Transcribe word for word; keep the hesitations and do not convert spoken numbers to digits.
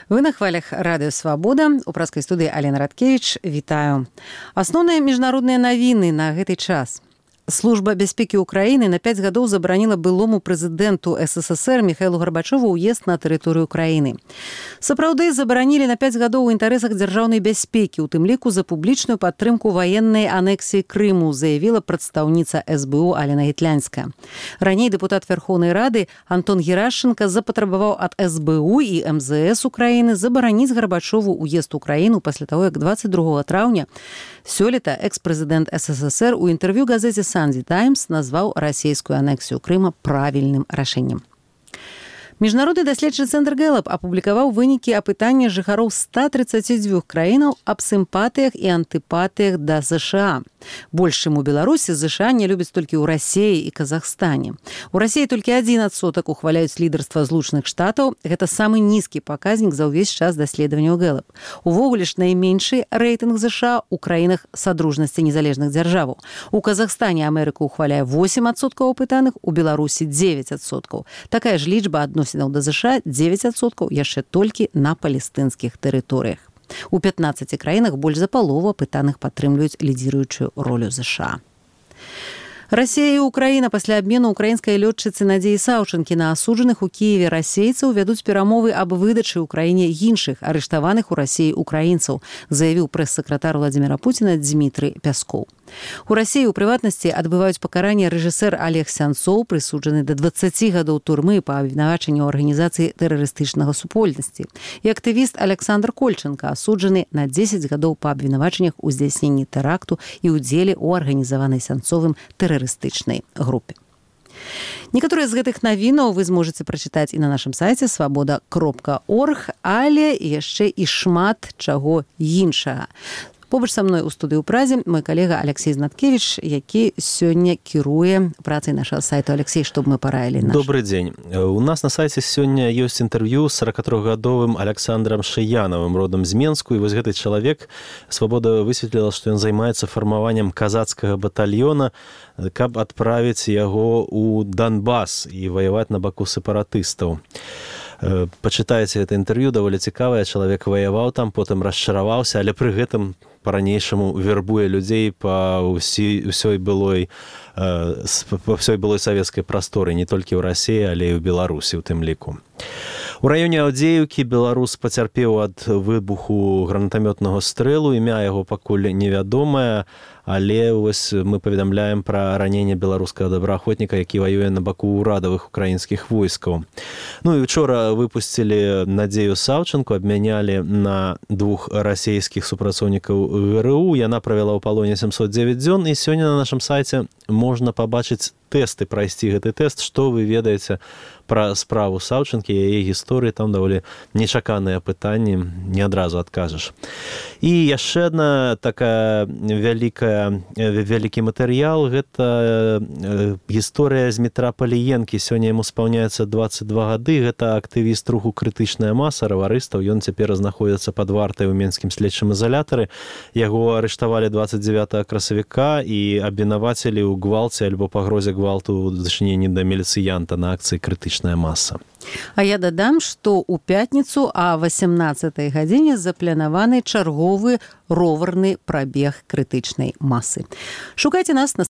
Вы на хвалях радыё Свабода. У праскай студыі Алена Радкевіч. Вітаю. Асноўныя міжнародныя навіны на гэты час. Служба бяспекі Украіны на пяць гадоў забараніла былому прэзідэнту СССР Міхаілу Гарбачову ўезд на тэрыторыю краіны. Сапраўды забаранілі на пяць гадоў у інтарэсах дзяржаўнай бяспекі, у тым ліку за публічную падтрымку ваеннай анексіі Крыму, заявіла прадстаўніца эс бэ у Алена Гітлянская. Раней дэпутат Верхоўнай Рады Антон Герашенко запатрабаваў ад эс бэ у і эм зэ эс Украіны забараніць Гарбачову ўезд у краіну пасля таго, як дваццаць другога траўня сёлета экс-прэзідэнт СССР у інтэрв'ю газеце «Санди Таймс» назваў расійскую анексію Крыма правільным рашэннем. Міжнародны даследчы цэнтр Гэлап апублікаваў вынікі апытання жыхароў ста трыццаці дзвюх краінаў аб сімпатыях і антыпатыях да ЗША. Больш, чым у Беларусі, ЗША не любяць толькі ў Расіі і Казахстане. У Расіі толькі адзін адсотак ухваляюць лідарства Злучаных Штатаў. Гэта самы нізкі паказнік за ўвесь час даследаванняў Гэлап. Увогуле ж найменшы рэйтынг ЗША ў краінах Садружнасці незалежных дзяржаваў. У Казахстане Амерыка ухваляе восем адсоткаў апытаных, у Беларусі дзевяць адсоткаў. Такая ж лічба адносіць да ЗША дзевяць адсоткаў яшчэ толькі на палестынскіх тэрыторыях. У пятнаццаці краінах больш за палову апытаных падтрымліваюць лідзіруючую ролю ЗША. Расія і Украіна пасля абмену украінскай лётчыцы Надзеі Саўчанкі на асуджаных у Кіеве расейцаў вядуць перамовы аб выдачы ў краіне іншых арыштаваных у Расіі украінцаў, заявіў прэс-сакратар Владзіміра Пуціна Дзмітрый Пяскоў. У Расіі, у прыватнасці, адбываюць пакаранне рэжысэр Олег Сянцоў, прысуджаны да дваццаці гадоў турмы па абвінавачанню ў арганізацыі тэрарыстычнага супольнасці, і актывіст Александр Кольченка, асуджаны на дзесяць гадоў па абвінавачаннях у здзяйсненні тэракту і ўдзеле ў арганізаванай Сянцовым тэрарыстычнай групе. Некаторыя з гэтых навінаў вы зможаце прачытаць і на нашым сайце свабода кропка орг, але яшчэ і шмат чаго іншага. Побач са мной у студыі ў Празе мой калега Алексей Знаткевич, які сёння кіруе працай нашага сайту. Алексей, што б мы параілі наш? Добрый дзень. У нас на сайце сёння ёсць інтэрв'ю з сорокатрохгадовым Александром Шыянавым, родам з Менску, і вось гэты чалавек, Свабода высветліла, што ён займаецца фармаваннем казацкага батальёна, каб адправіць яго ў Донбас і ваяваць на баку сепаратыстаў. Пачытайце гэта інтэрв'ю, даволі цікавае. Чалавек ваяваў там, потым расчараваўся, але пры гэтым па-ранейшаму вербуе людзей па ўсёй, ўсёй былой па ўсёй былой савецкай прасторы, не толькі ў Расіі, але і ў Беларусі у тым ліку. У раёне Аўдзеўкі беларус пацярпеў ад выбуху гранатамётнага стрэлу, імя яго пакуль невядомае, але вось мы паведамляем пра раненне беларускага добраахвотніка, які ваюе на баку ўрадавых украінскіх войскаў. Ну і учора выпусцілі Надзею Саўчанку, абмянялі на двух расійскіх супрацоўнікаў ГРУ. Яна правяла ў палоне сямсот дзевяць дзён, і сёння на нашым сайце можна пабачыць тэсты, прайсці гэты тэст, што вы ведаеце пра справу Саўчанкі, яе гісторыі. Там даволі нечаканыя пытанні, не адразу адкажаш. І яшчэ адна такая вялікая, вялікі матэрыял, гэта гісторыя з Дмітра Паліенкі. Сёння яму спаўняецца дваццаць два гады. Гэта актывіст руху «Крытычная маса», раварыстаў. Ён цяпер знаходзіцца пад вартай у менскім следчым ізалятары. Яго арыштавалі дваццаць дзевятага красавіка і абвінавацілі ў гвалце альбо пагрозе гвалту ў дачыненні да міліцыянта на акцыі «Крытычная маса». А я дадам, што ў пятніцу а васемнаццатай гадзіне запланаваны чарговы роварны прабег крытычнай масы. Шукайце нас на